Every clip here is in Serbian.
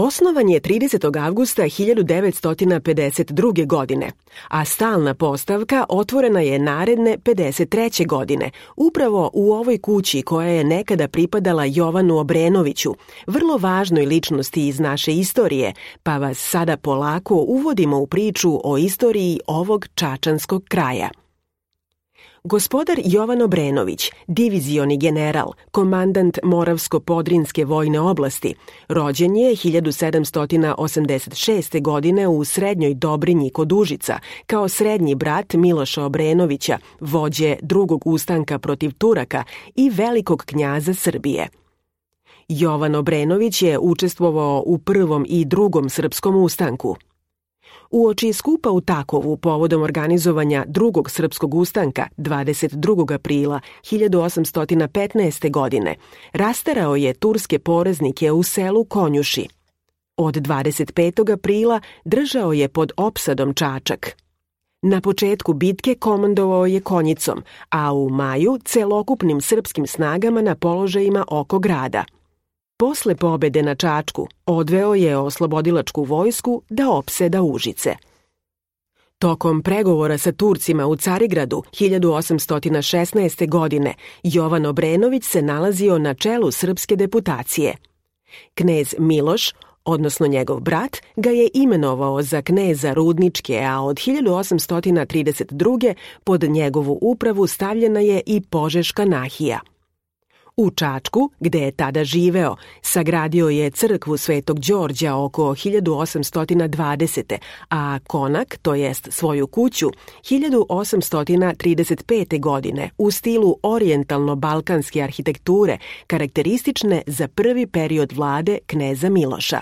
Osnovan je 30. avgusta 1952. godine, a stalna postavka otvorena je naredne 53. godine, upravo u ovoj kući koja je nekada pripadala Jovanu Obrenoviću, vrlo važnoj ličnosti iz naše istorije, pa vas sada polako uvodimo u priču o istoriji ovog čačanskog kraja. Gospodar Jovan Obrenović, divizioni general, komandant Moravsko-Podrinjske vojne oblasti, rođen je 1786. godine u Srednjoj Dobrinji kod Užica, kao srednji brat Miloša Obrenovića, vođe drugog ustanka protiv Turaka i velikog knjaza Srbije. Jovan Obrenović je učestvovao u prvom i drugom srpskom ustanku. Uoči skupa u Takovu povodom organizovanja drugog srpskog ustanka 22. aprila 1815. godine rasterao je turske poreznike u selu Konjuši. Od 25. aprila držao je pod opsadom Čačak. Na početku bitke komandovao je konjicom, a u maju celokupnim srpskim snagama na položajima oko grada. Posle pobede na Čačku odveo je oslobodilačku vojsku da opseda Užice. Tokom pregovora sa Turcima u Carigradu 1816. godine Jovan Obrenović se nalazio na čelu srpske deputacije. Knez Miloš, odnosno njegov brat, ga je imenovao za kneza Rudničke, a od 1832. pod njegovu upravu stavljena je i Požeška nahija. U Čačku, gde je tada živeo, sagradio je crkvu Svetog Đorđa oko 1820. a konak, to jest svoju kuću, 1835. godine u stilu orijentalno-balkanske arhitekture, karakteristične za prvi period vlade kneza Miloša.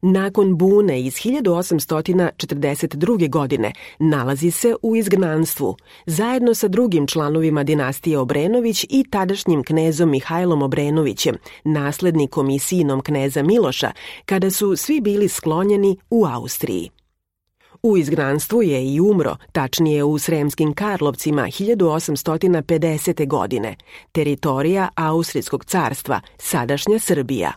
Nakon bune iz 1842. godine nalazi se u izgnanstvu, zajedno sa drugim članovima dinastije Obrenović i tadašnjim knezom Mihajlom Obrenovićem, naslednikom i sinom kneza Miloša, kada su svi bili sklonjeni u Austriji. U izgnanstvu je i umro, tačnije u Sremskim Karlovcima 1850. godine, teritorija Austrijskog carstva, sadašnja Srbija.